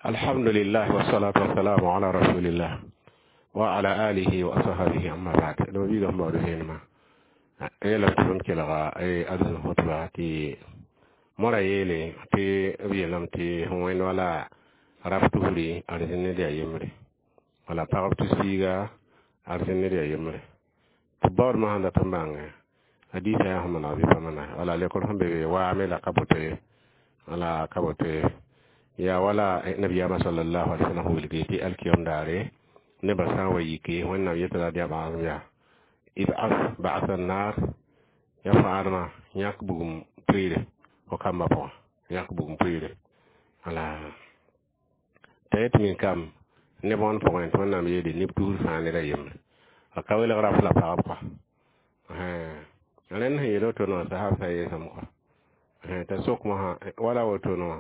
Alhamdulillah wassalatu wassalamu ala rasulillah wa ala alihi wa ashabihi, amma ba'd. No bi gamba do henma ela tɩ b kelga adzem khutba tɩ mora yeele tɩ b yeelame tɩ sẽn wẽnd wala raf tusri arzẽn ned yaa yembre, wala pagb tus-piiga arzẽn ned yaa yembre, tɩ baoodmã sẽn dat n bãnge hadiisã yaa sẽn maneg bɩ pa maneg. Wala lekr sẽn be be waame la ka boto ye, wala ka boto ye. Yaa wala nabiyaamã sallallahu alaihi wasallam wilgi tɩ alkiyom daare nebã sã n wa yike, Wẽnnaam yeta la yaa bãasem yaa ib'as ba'sa nar ya fãadmã yãk bugum pʋɩɩre fo kambã pʋgã, yãk bugum pʋɩɩre. Wala t'a yet min kam neb wãn pʋgẽ tɩ Wẽnnaam yeele neb tusr fãa ned a yembre, a ka welg raf la pagb kɔa. Rẽnd sẽn yeel woto wã sahab sã yeesame kɔa t'a sok mosã wala wotone wã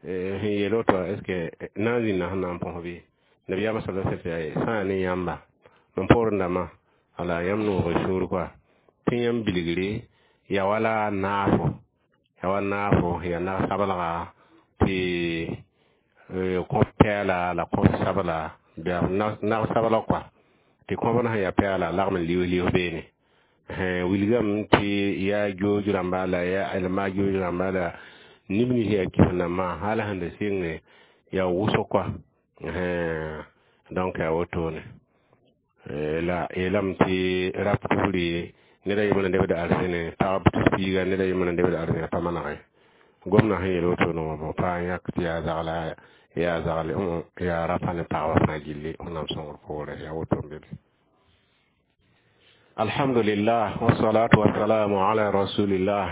sẽn yeel woto wã, est ce que na n zĩnda sẽn na n põs bɩ? Nabiyaamã sala sallam yaa sã n ne yãmba mam poorẽ dãmbã, wala yãmb noog y sũur kɔa tɩ yãmb bilgre ya wala naafo, ya wa naafo ya nag-sablga tɩ kõb pɛɛla la kõb sabla, nag-sabla kɔa tɩ kõbd sẽn yaa pɛɛla lagm n lius lius beene. Wilgame tɩ yaa jooj rãmba la yaa majuj rãmba la neb nins yaa kɩs nambã hal sẽn da sɩnge yaa wʋsg kɔa. Donc yaa wotone la yeelame tɩ rap tusri ned a yembr n lebd arzẽne, pagb tus-piiga ned a yembr n lebd arzẽne pa manege. Gomdã sẽn yeel wotone wã bõ pa n yãk tɩ yaa zagla, yaa zagle, yaa rapa ne pagbã fãa gilli. Wẽnnaam sõngr poorẽ yaa woto n be be. Alhamdulillah wassalatu wassalamu ala rasulillah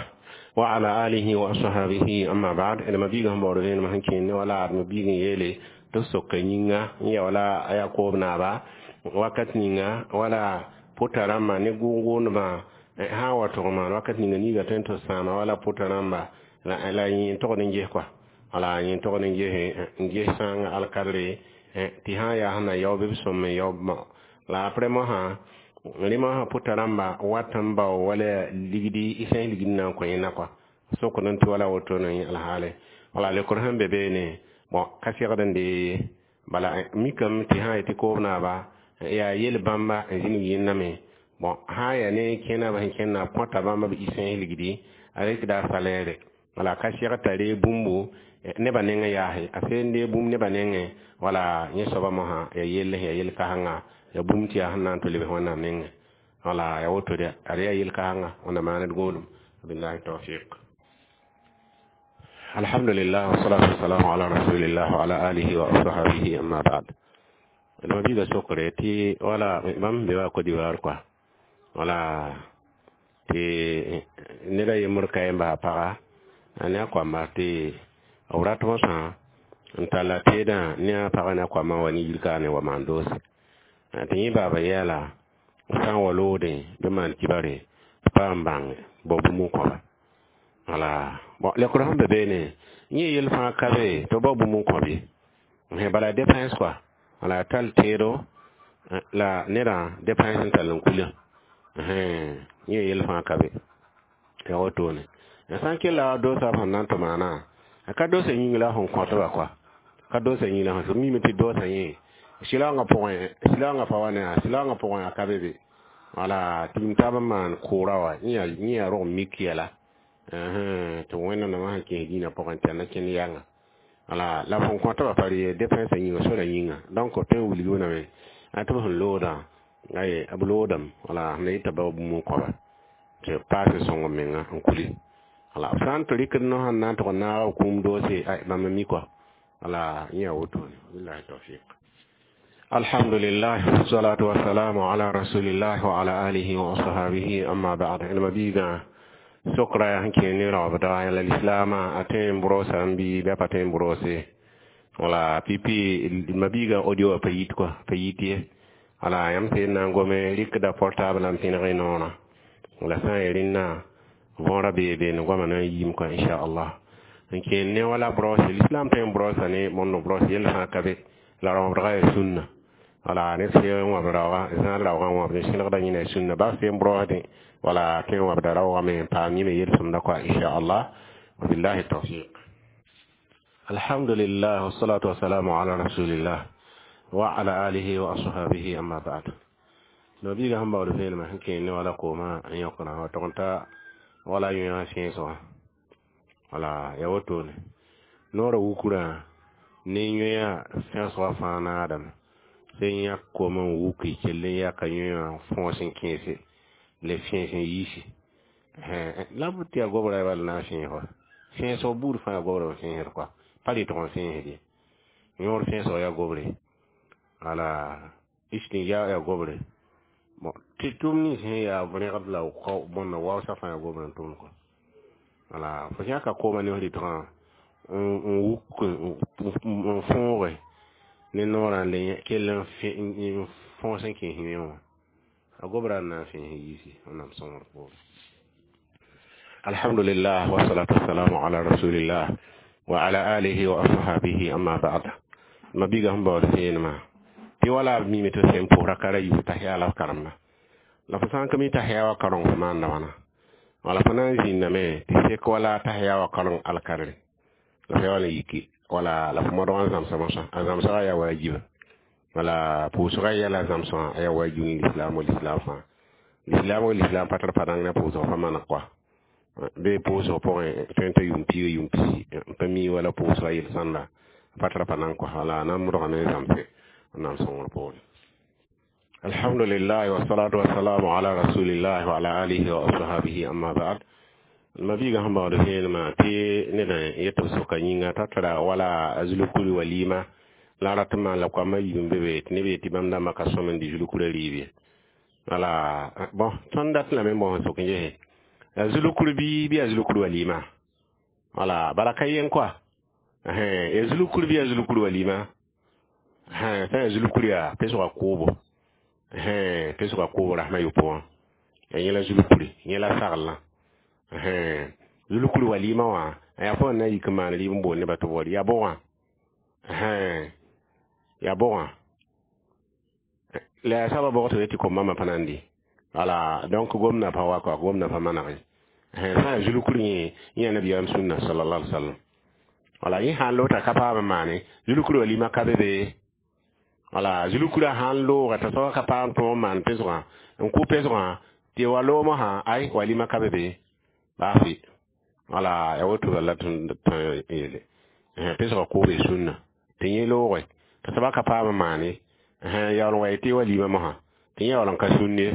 wa ala alihi wa ashabihi, amma ba'd. D ma-biigã sẽn baood vẽenemã sẽn kẽend ne wala ad ma-biig n yeele tɩ b soka yĩnga n ya wala a yaa koob naaba wakat ninga wala pʋta rãmbã ne gʋʋg-gʋʋndbã sã n wa tʋg maan wakat ninga niiga tõe n tɩ sãama wala pʋta rãmba la yẽ n togd n ges kɔa, wala yẽ n togd n ges n ges sãanga alkadre tɩ sã n yaa sẽn na yao bɩ b sõm n yao. La après mosã rẽ mosã pʋta rãmba wat n bao wala ligdi y sẽn ligd n na n kõ yẽnda kɔa, sokd n tɩ wala wotone alhaale wala lekr sẽn be beene bõn ka segd n dee. Bala mikame tɩ sã n yetɩ koob naaba yaa yel bãmba n zĩnig yẽndame bõn sã n yaa ne kẽna b sẽn kẽnda b kõta bãmba b y ligdi a rɩkda a salaire, wala ka seg t'a ree bũmbu nebã nengẽ yaase a seen dee bũmb nebã nengẽ. Wala yẽ soaba mosã ya yell ya yel kãsenga ya bũmb tɩ yaa sẽn na n tʋ lebs Wẽnnaam nengẽ, wala ya woto de ad yaa yel kãsenga wẽnnaam maaned gũudum. Billahi tawfiq. Alhamdulillah wassalatu wassalamu ala rasulillah wa ala alihi wa ashabihi, amma ba'd. Ma biiga sokre tɩ wala bãmb be wa Côte d'Ivoire kɔa, wala tɩ ned a yembr ka n basa paga a ne a koamba tɩ b rat mosã n talla teedã ne a pagã ne a koambã wa ne yir kaane wa maan doose tɩ yẽ baaba yɛɛla sã n wa loodẽ bɩ maan kibare pa n bãng bao bũmb n kõba. Wala bon lekr sẽn be beene yẽ yel fãa ka be tɩ b bao bũmb n kõb ye, bala dépense kɔa, wala tall teedo la nedã dépense n tall n kulã yẽ yel fãa ka be ya wotone. Sã n kella doosa sẽn na n tɩ maana a ka doosa yĩng la sẽn kõtba kɔa, ka doosa yĩng la sẽn mime tɩ doosa yẽ sɩlaoongã pʋgẽ, sɩlaoongã pa wa ne a sɩlaoongã pʋgẽ a ka be be. Wala tɩ m taab n maan kʋʋra wa yẽ yaa rog mik yɛla tɩ Wẽnnaam sẽn kẽes dĩinã pʋgẽ tɩ a na kẽnd yãnga wala la fõn kõtba pa re dépense yĩnga sora yĩnga. Donc tõe n wilg wẽname a tɩ b sẽn loodã ay b loodame, wala sẽn na yɩta bao bũmb n kõba tɩ paase sõng m menga n kuli. Wala b sã n tɩ rɩkd no sẽn na n tʋg n naag b kũum doose ay bãmb n mi kɔa, wala yẽ yaa wotone. Billahi tawfiq. Alhamdulillah wassalatu wassalamu ala rasulillah wa ala alihi wa ashabihi, amma ba'd. Ma biigã sokra sẽn kẽe ne raoobda la lislaamã a tõe n brosa n bɩ bɩ a pa tõe n brose. Wala pipi ma-biigã audio wã pa yit kɔa, pa yit ye. Wala yãmb sẽn na n gome rɩkda portable n pẽneg y noorã la sã n yaa rẽnnã võora bee beene goamã na n yiim kɔa inchallah. N kẽend ne wala brose l'islam tõe n brosa ne mondo brose yell fãa ka be la raoobdgã yaa sũnna. Wala ned sẽn wãb raooga zãad raoogã wãbd sẽlgda yẽna sũnna bas sẽn brosdẽ wala tõe n wãbda raoogame n paam yẽme yel-sõmda kɔa inchallah. Wabillahi tawfiq. Alhamdulillah, wassalatu wassalamu ala rasulillah wa ala alihi wa ashabihi, amma ba'd. No biiga sẽn baood vẽenemã sẽn kẽer ne wala koomã n yõkdã wa tog n ta wala yõa fẽesgã. Wala ya wotone noorã wukrã ne yõa fẽsgã fãa naadame sẽn yãk koomã n wuki kell n yaka yõa fõos n kẽese le fẽes n yiisi la b tɩ yaa gobrã bala na n fẽes wa fẽesg buud fãa yaa gobrã n fẽesd kɔa pa rɩtg n fẽesd ye yõor fẽesg yaa gobre wala istinja yaa gobre bon tɩ tʋʋm nins sẽn yaa rẽgd la bõnda waoosã fãa yaa gobrã n tʋmd kɔa wala fo yãka koomã ne f rɩtgã n wuk n fõoge ne noorã n le kell n fõos n kẽes yẽ wã a gobra n na n fẽes yiisi Wẽnnaam sõngr poore. Alhamdulillah, wassalatu wassalamu ala rasulillah wa ala alihi wa ashabihi, amma ba'd. Ma biiga sẽn baood vẽenemã tɩ wala b mime tɩ sẽn pʋsra ka ra yus t'a la f karemda la fo sã n ka mi t'a wa kareng fo maanda wãna wala fo na n zĩndame tɩ sek wala t'a wa kareng alkarre la fo ya wala yiki wala la fo modg n zãmsa mosã a zãmsgã yaa waajiba wala pʋʋsgã yɛla zãmsgã a yaa waajib ne lislaam wa lislaam fãa lislaam wa lislaam pa tar pa dãng na pʋʋsg pa maneg kɔa bee pʋʋsg pʋgẽ tõe n t'a yʋʋm piiga yʋʋm pisi n pa mi wala pʋʋsga yel-sõnda pa tara pa nan kɔa wala a na n modgame n zãmse Wẽnnaam sõngr poore. Alhamdulillah, wassalatu wassalamu ala rasulillah wa ala alihi wa ashabihi, amma ba'd. Ma biiga sẽn baood vẽenemã tɩ ned yet b sʋka yĩnga t'a tara wala a zulukuri walima la rat n maan la koamã yiib n be be tɩ neb yetɩ bãmb dãmbã ka sõm n dɩ zulukura rɩɩb ye wala bon tõnd dat lame n bõs n sok n gese a zulukur bɩ a zulukur walima wala bala ka yen kɔa ya zulukur bɩ a zulukur walima sã ya zulukur yaa pesga kʋʋbo pesga kʋʋbo rasmã yopo wã ya yẽ la zulukuri yẽ la saglã zulukuri walima wã yaa fo na yik n maan rɩɩb n bool nebã tɩ b wa yaa bʋgã yaa bʋgã la yaa soabã bʋg tɩ tɩ kom-bãmbã pa na n dɩ wala donc gomdã pa wa kɔa gomdã pa manege sã yaa zulukur yẽ yẽ yaa nabiyaam sũnna sallallahu alaihi wasallam wala yẽ sã n loota ka paam n maane zulukur walima ka be be wala zulukura sãn looga t'a soaba ka paam tõog n maan pesgã n kʋ pesgã tɩ wa loomã sã ay walima ka be be baa fɩ wala ya woto la tõe yele pesgã kʋʋbe sũnna tɩ yẽ looge t'a soaba ka paam n maane yaool n wa tɩ walima mosã tɩ yẽ yaool n ka sũnd ye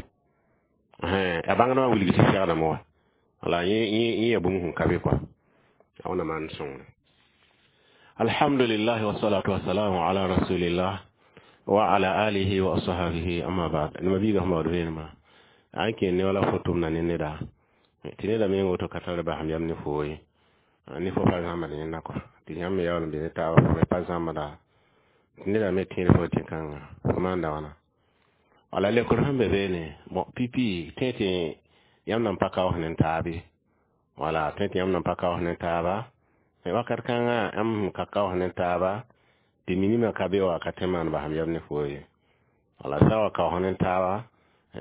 a bãngdmã wilg tɩ segdame wa wala yẽ yaa bũmb sẽn ka be kɔa a wẽnnaam maan sõngre. Alhamdulillah, wassalatu wassalamu ala rasulillah wa ala alihi wa ashabihi, amma ba'd. Nima biiga sẽn baood vẽenemã a n kẽer ne wala fo tʋmda ne neda tɩ neda meng woto ka tar basem yam ne foo ye ne fo pa zãmbd yẽnda kɔa tɩ yãmb me yaool n be ne taaba fo me pa zãmbda tɩ neda me tẽed fo tɩ kãnga fo maanda wãna wala lekr sẽn be beene bon pipi tõe tɩ yãmb nan pa kaoos ne taabe wala tõe tɩ yãmb nan pa kaoos ne taaba wakat kãngã yãmb sẽn ka kaoos ne taaba tɩ minimã ka be wa ka tõe maan basem yam ne foo ye wala sã wa kaoos ne taaba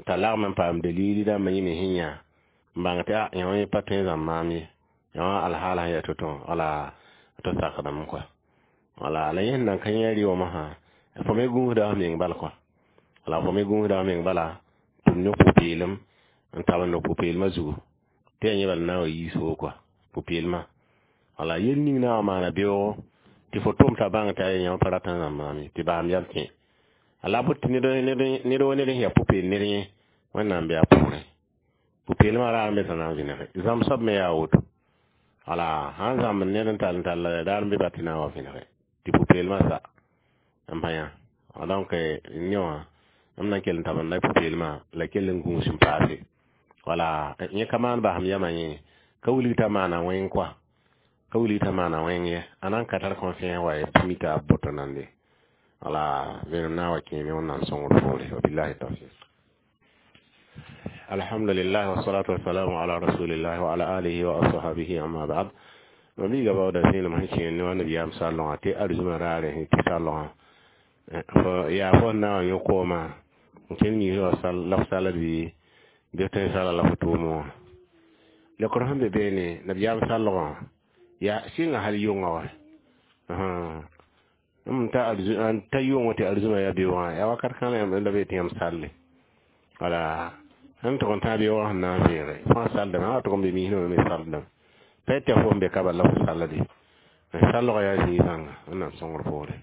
t'a lagm n paam dalili dãmbã yĩme sẽn yã n bãng tɩ a yã wã pa tõe n zãmb maam ye yã wã alhaala sẽn yaa to-to wala to sakdame kɔa wala la yẽ sẽn nan ka yẽ rɩ wã mosã fo me gũusda f meng bal kɔa wala fo me gũusda f meng bala tɩ b ne pʋ-peelem n tabend pʋ-peelmã zugu tɩ yaa yẽ bala na n wa yiis foo kɔa pʋ-peelmã wala yel ning na n wa maana beoogo tɩ fo tʋm t'a bãng tɩ a yãmb pa rat n zãmb maam ye tɩ basem yam kẽ la bot tɩ ned wa ned sẽn yaa pʋ-peel ned yẽ Wẽnnaam bɩ a pʋgrẽ pʋ-peelmã raar n be t'a na n vẽnege zãmb soab me yaa woto wala sãn zãmb ned n tall n tall raar n be ba tɩ na n wa vẽnege tɩ pʋ-peelmã sa n pa yã donc ne wã m na n kell n tabenda pʋ-peelmã la kell n gũus n paase wala yẽ ka maan basem yamã yẽ ka wilg t'a maana wẽng kɔa ka wilg t'a maana wẽng ye a na n ka tar confiance wa ye tɩ mita b boto nande wala vẽenem na n wa kẽeme Wẽnnaam sõngr poore. Wabillahi tawfiq. Alhamdulillah, wassalatu wassalamu ala rasulillah wa ala alihi wa ashabihi, amma ba'd. Ma biiga baooda vẽenem sẽn kẽer ne wa nabiyaam sallõgã tɩ arzũmã raare sẽn tɩ sallõgã yaa fo n na n wa yõ koomã n kẽnd miisã wa la f sall bɩ bɩ tõe n sala la fo tʋʋmẽ wã lekr sẽn be beene nabiyaam sallgã yaa sɩnga hal yʋngã wa M ta ta yʋʋngã tɩ arzũmã yaa beoogã yaa wakat kãng la be tɩ yãmb salle. Wala sẽn tʋg n tã beoogã sẽn na n vẽege fãa saldame a tʋg n be misdã me saldame pa tɩ fo n be ka bala la fo sallde sallgã yaa zĩig zãnga Wẽnnaam sõngr poore.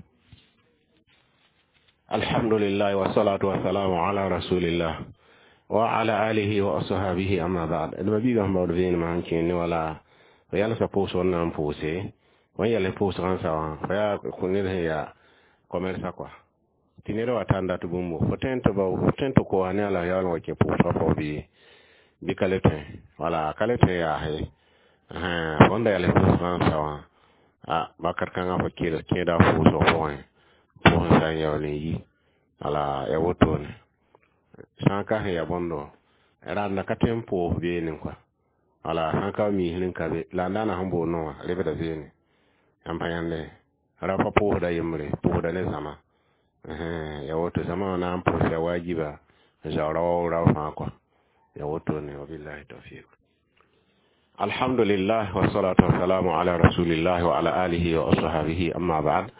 Alhamdulillah, wassalatu wassalamu ala rasulillah wa ala alihi wa ashabihi, amma ba'd. D ma-biigã sẽn baood vẽenemã sẽn kẽer ne wala fo yalsã pʋʋsg n na n pʋʋse wẽn yɛl pʋʋsgã n sa wã fo yaa ned sẽn yaa commerça quoi tɩ ned wa tar n dat bũmbo fo tõe n tɩ bao fo tõe n tɩ koa ne a la yaool n wa kẽ pʋʋsgã pʋgẽ bɩ ka le tõe wala ka le tõe yaase fo n da yɛls pʋʋsgã n sa wã a wakat kãngã fo kẽeda pʋʋsg pʋgẽ pʋʋs n sa n yaool n yi wala ya wotone sã n ka sẽn ya bõndo rãnda ka tõe n pʋʋs beene kɔa wala sã n ka misr n ka be la n daana sẽn boond no wã rebda beene yãmb pa yãnde ra pa pʋʋsda yembre pʋʋsda ne zãma ya woto zãma wã na n pʋʋs ya wajiba n zaoora wa rao fãa kɔa ya wotone. Wabillahi tawfiq. Alhamdulillah, wassalatu wassalamu ala rasulillah wa ala alihi wa ashabihi, amma ba'd.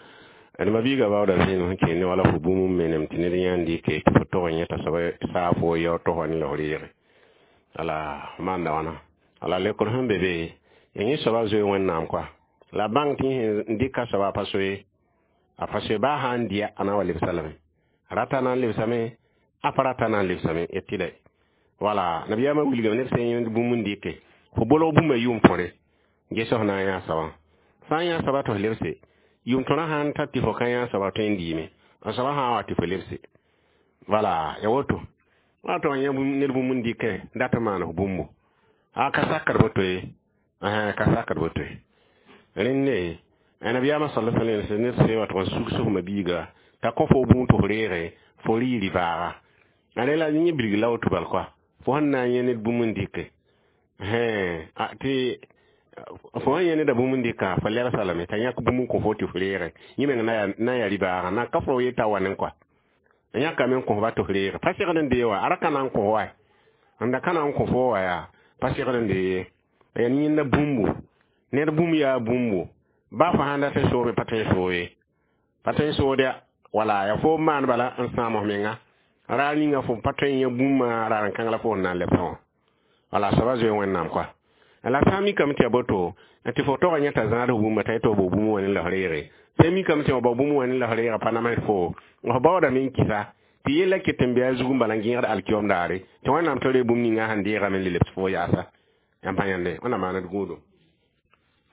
D ma-biigã baooda zẽem sẽn kẽer ne wala fo bũmb n menem tɩ ned yãnd dɩke tɩ fo tog n yẽta soaba saa fo yao tosa ne la f reege wala maanda wãna wala lekr sẽn be be ya yẽ soaba zoe Wẽnnaam kɔa la bãng tɩ sẽn dɩka soaba a pa soe a pa soe baa sã n dɩa a na n wa lebsa lame rata na n lebsame a pa rata na n lebsame y tɩlɛ wala nabiyaamã wilgame ned sẽn yẽnd bũmb n dɩke fo bolg bũmba yʋʋm tõre ges f na n yã soabã sã n yã soaba tɩ f lebse yʋʋm tõrã sãn ta tɩ fo ka yã soaba tõe n dɩɩme n soaba sã n wa tɩ fo lebse wala ya woto wa tɩ yã ned bũmb n dɩkɛ dat n maan f bũmbo a ka sakd boto ye ka sakd boto ye rẽnde nabiyaamã sala sallam ned sẽn wa tɩ n sug sf ma-biiga t'a kõ fo bũu tɩ f reege fo rɩ rɩ-baaga a ne la yẽ bilg la woto bal kɔa fo sẽn na n yẽ ned bũmb n dɩke tɩ fo sẽn yẽ neda bũmb n dɩka fo lebsa lame t'a yãk bũmb n kõ fo tɩ f reege yẽ meng na n yaa rɩ-baagã na ka fo yeta wa ne kɔa n yãkame n kõs ba tɩ f reege pa segd n dee wa a ra ka na n kõ wa n da ka na n kõ fo wa yaa pa segd n dee ye yaa yẽnda bũmbu ned bũmb yaa bũmbu ba fo sãn dat n soome pa tõe n soog ye pa tõe n sood ya wala ya fo maan bala n sãam f menga raar ninga fo pa tõe n yã bũmba raar n kãng la fo n na n lebsã wã wala soaba zoe Wẽnnaam kɔa la sã n mikame tɩ ya boto tɩ fo tog n yẽta zãad f bũmba t'a yetɩ f bao bũmb wã ne la f reege sã n mikame tɩ f bao bũmb wã ne la f reega pa namsd fo f baoodame n kɩsa tɩ yella ket n be a zug n bala n gẽegd alkiom daare tɩ Wẽnnaam tɩ ree bũmb ninga sẽn deegame n le lebs fo yaasa yãmb pa yãnde Wẽnnaam maaned gũudum.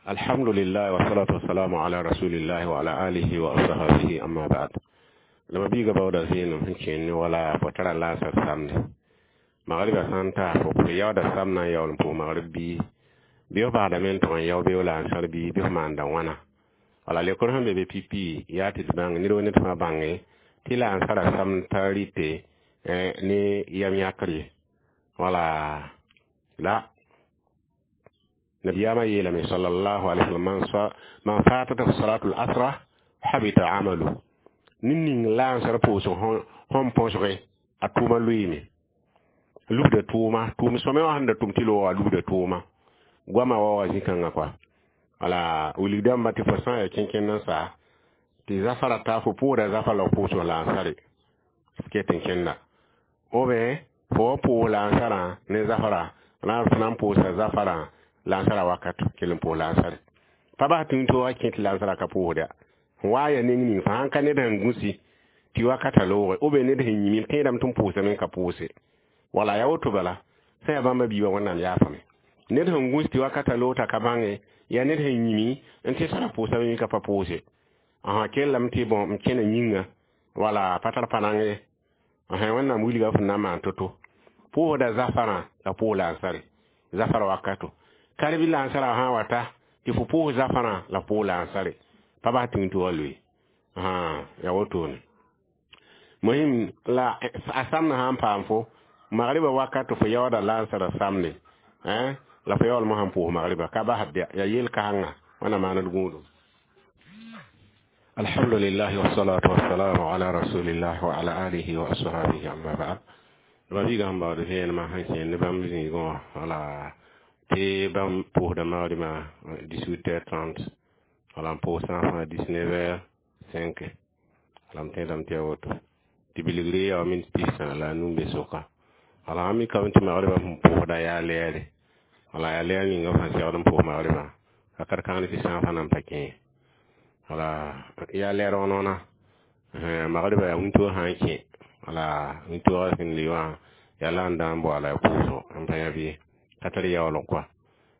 Alhamdulillah, wassalatu wassalamu ala rasulillah wa ala alihi wa ashabihi, amma ba'd. La ma-biigã baooda zẽenem sẽn kẽer ne wala fo tara laasar samde magriba sã n ta fo yaooda sam na n yaool n pʋʋs magrib bii bɩ f basdame n tʋg n yao beoog la n sãr bii bɩ f maanda wãna wala lekr sẽn be be pipi yaa tɩ d bãng ned wa ned fãa bãnge tɩ la n sara sam t'a rɩte ne yam yãkr ye wala la nabiyaamã yeelame sallallahu alaihi wasallam man fatat salatu al-asra habita amalu ned ning la n sar pʋʋsg sẽn põsge a tʋʋma lʋɩɩme lubda tʋʋma tʋʋm sõme wã sẽn da tʋm tɩ loogã lubda tʋʋma goamã wa wa zĩ-kãngã kɔa wala wilg dãmba tɩ fo sã n yaa kẽnkẽnd n sa tɩ zafara ta fo pʋʋda zafa la f pʋʋsg la n sare f ket n kẽnda ou bien fo wa pʋʋs la n sarã ne zafara la f na n pʋʋsa zafarã la n sara wakat kell n pʋʋs la n sare pa bas tũu tɩ wa kẽ tɩ la n sara ka pʋʋsda wa ya neng ning fãa ka ned sẽn gũsi tɩ wakata looge ou bien ned sẽn yĩm tẽedame tɩ n pʋʋsame n ka pʋʋse wala ya woto bala sã yaa bãmba biiba Wẽnnaam yaafame ned sẽn gũs tɩ wakata loog t'a ka bãnge yaa ned sẽn yĩmi n tɩ sara pʋʋsame yẽ ka pa pʋʋse kellame tɩ bõ n kẽna yĩnga wala pa tar pa nang ye Wẽnnaam wilga f na n maan to-to pʋʋsda zafarã la pʋʋs la n sare zafara wakato karbi la n sara sã n wata tɩ fo pʋʋs zafarã la pʋʋs la n sare pa bas tĩng tɩ wa loe ya wotone mohim la a samna sã n paam fo magriba wakato fo yaooda la n sara samde la fo yaoolmã sãn pʋʋs magriba ka basd ya yel kãngã wẽnnaam maaned gũudum. Alhamdulillah, wassalatu wassalamu ala rasulillah wa ala alihi wa ashabihi, amma ba'd. Ma-biigã sẽn baood vẽenemã sẽn kẽer ne bãmb zĩigẽ wã wala tɩ bãmb pʋʋsda magribã 18h30. Wala n pʋʋs sã fãa 19h05. Wala m tẽedame tɩ yaa woto. Tɩ bilgre yaa minit 35 be sʋka. Wala a mikame tɩ magribã sẽn pʋʋsda yaa lɛɛre. Wala yaa lɛɛr ninga f sẽn segd n pʋʋs magribã. Wakat kãng tɩ sã fãa nan pa kẽ ye. Wala yaa lɛɛr wãn-wãna. Magribã yaa wĩntoog sã n kẽ. Wala wĩntoogã sẽn li wã yaa la n dã n boala pʋʋsgo n pa yã bɩ ka tar yaoolg kɔa.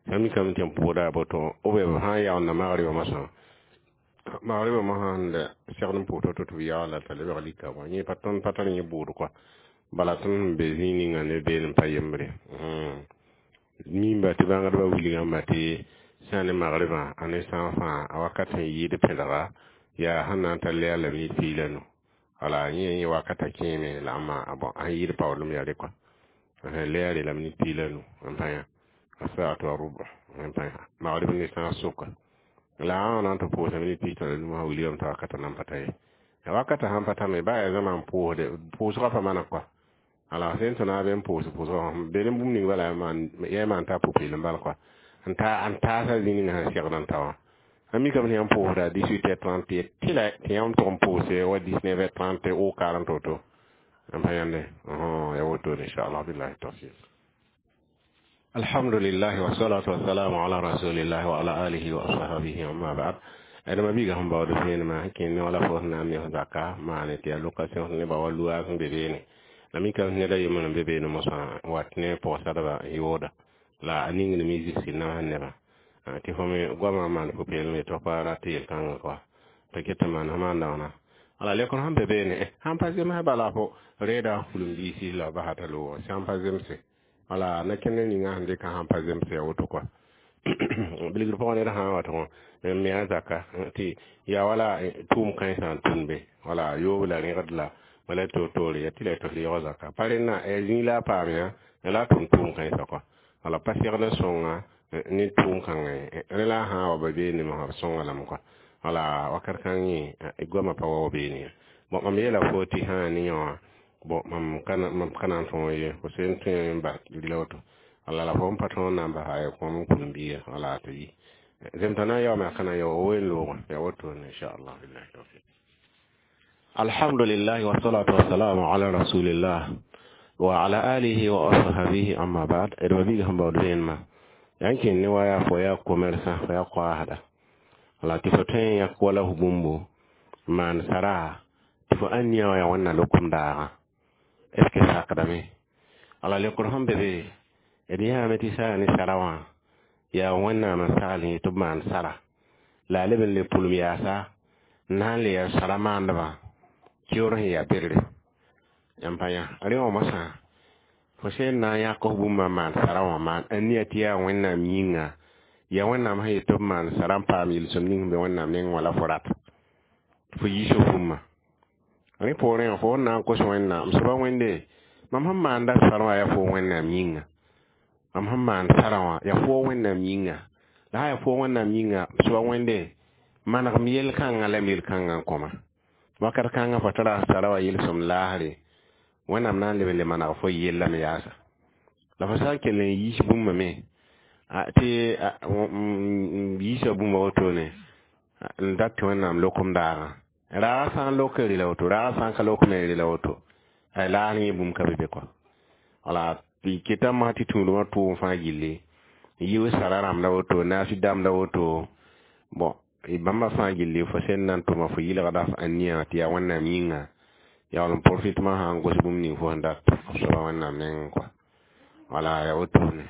Sã mikame tɩ m pʋʋsda yaa boto ou bien b sã n yaoonda magribã mosã magribã mosã sẽn la segd n pʋʋs to tɩ b yaoola t'a lebg lika bõe yẽ pa tõnd pa tar yẽ bʋʋd kɔa. Bala tõnd sẽn be zĩig ninga ne beene n pa yembre. Mimba tɩ bãngdbã wilgame tɩ sã ne magribã a ne sã fãa a wakat sẽn yɩɩd pẽdga yaa sẽn na n tar lɛɛr la minit 15. Wala yẽ yẽ wakata kẽeme la ãmba bon a sẽn yɩɩd paoolem yaa rẽ kɔa. Lɛɛre la minit 15 n pa yã. الساعة وربع n pa yã. Magrib ne sã sʋka. La a na n tɩ pʋʋsa minit 15 wã wilgame t'a wakata nan pa ta ye. Wakata sãn pa ta me baa yaa zãma n pʋʋsde pʋʋsgã pa mana kɔa. Ala sẽn tõna be n pʋʋs pʋʋsgã be ne bũmb ning bala yaa maan t'a pʋ-peelem bal kɔa. N taasa zĩ ninga sẽn segd n ta wã. A mikame tɩ yãmb pʋʋsda 18h30 tɩ la tɩ yãmb tʋg n pʋʋse wa 19h30 ou 40 woto. N pa yãnde ya wotone inchallah billahi tawfiq. Alhamdulillah wa salatu wa salamu ala rasulillah wa ala alihi wa ashabihi amma ba'd. Adama biiga sẽn baood vẽenemã sẽn kẽnd ne wala fo sẽn na n mes zaka maane tɩ yaa location nebã wa luaas n be beene. La mikame ned a yembr n be beene mosã n wat ne pʋgsadba n yooda. La a ningdme zɩsg namsd nebã. Tɩ fo me goamã n maan pʋ-peelem ye tɩ f pa rat yel-kãngã kɔa. Tɩ ket n maan f maan daoona. Ala lekr sẽn be beene sãn pa zems bala fo reeda fulem-biisi la basa t'a loogã sãn pa zemse. Wala na kẽnd ninga sẽn dɩka sãn pa zemse ya woto kɔa. Bilgr pʋgã ned sã n wa tɩ n me a zaka tɩ yaa wala tʋʋm kãensã n tũn be. Wala yoob la rẽgd la wala toor-toore ya tɩ la y tɩ f reoog zaka. Pa rẽnna zĩig la a paam yã la a tʋm tʋʋm kãensã kɔa. Wala pa segd n sõnga ne tʋʋm kãngã ye. Rẽ la a sã n wa ba beene mosã b sõnga lame kɔa. Wala wakat kãng yẽ goamã pa wao beene ye. Bon mam yeela fo tɩ sã n ne yã wã bon mam ka na n tõog ye fo sẽn tõe n bas rɩla woto. Wala la fo n pa tõog n na n basa ya kõom n kulem-biiga wala tɩ yi. Zemtã na n yaoome a ka na n yao wen loogã ya wotone inchallah billahi tawfiq. Alhamdulillah wa salatu wa salamu ala rasulillah wa ala alihi wa ashabihi amma ba'd. D ma biiga sẽn baood vẽenemã yaa n kẽnd ne wa yaa fo yaa commerçant fo yaa koaasda. Wala tɩ fo tõe n yãk wala f bũmbo n maan sara tɩ fo ãnnia wã yaa wẽnna lokom daagã. Est ce que sakdame? Ala lekr sẽn be be d yãame tɩ sã ne sara wã yaa wẽnnaam n sagl yẽ tɩ b maan sara. La a leb n le pʋlem yaasa n na n le yaa sara maandbã keoor sẽn yaa berre. Yãmb pa yã. Rẽ wã mosã fo sẽn na n yãk f bũmba n maan sara wã maan ania tɩ yaa wẽnnaam yĩnga yaa wẽnnaam sẽn yet tɩ b maan sara n paam yel-sõm ning sẽn be wẽnnaam nengẽ wã la fo rat. Fo yiis f bũmba. Rẽ poorẽ fo sẽn na n kos wẽnnaam soaba wẽnde mam sẽn maanda sara wã yaa fo wẽnnaam yĩnga. Mam sẽn maan sara wã yaa fo wẽnnaam yĩnga. La sã yaa fo wẽnnaam yĩnga soaba wẽnde manegm yel-kãngã la m yel-kãngã n kõma. Wakat kãngã fo tara sara wã yel-sõm laasre wẽnnaam na n leb n le maneg fo yellame yaasa. La fo sã n kell n yiis bũmba me tɩ yiisa bũmba wotone n dat tɩ wẽnnaam lokom daagã. Raagã sã n lok n rela woto raagã sã n ka lok me n rela woto laas yẽ bũmb ka be be kɔa. Wala tɩ keta mosã tɩ tũudmã tʋʋm fãa gilli yiʋ sara rãmb la woto naasi dãmb la woto bon bãmba fãa gilli fo sẽn na n tʋma fo yɩlgda f ãnia tɩ yaa wẽnnaam yĩnga yaool n profit mã sã n gos bũmb ning fo sẽn dat f soaba wẽnnaam nengẽ kɔa. Wala ya wotone.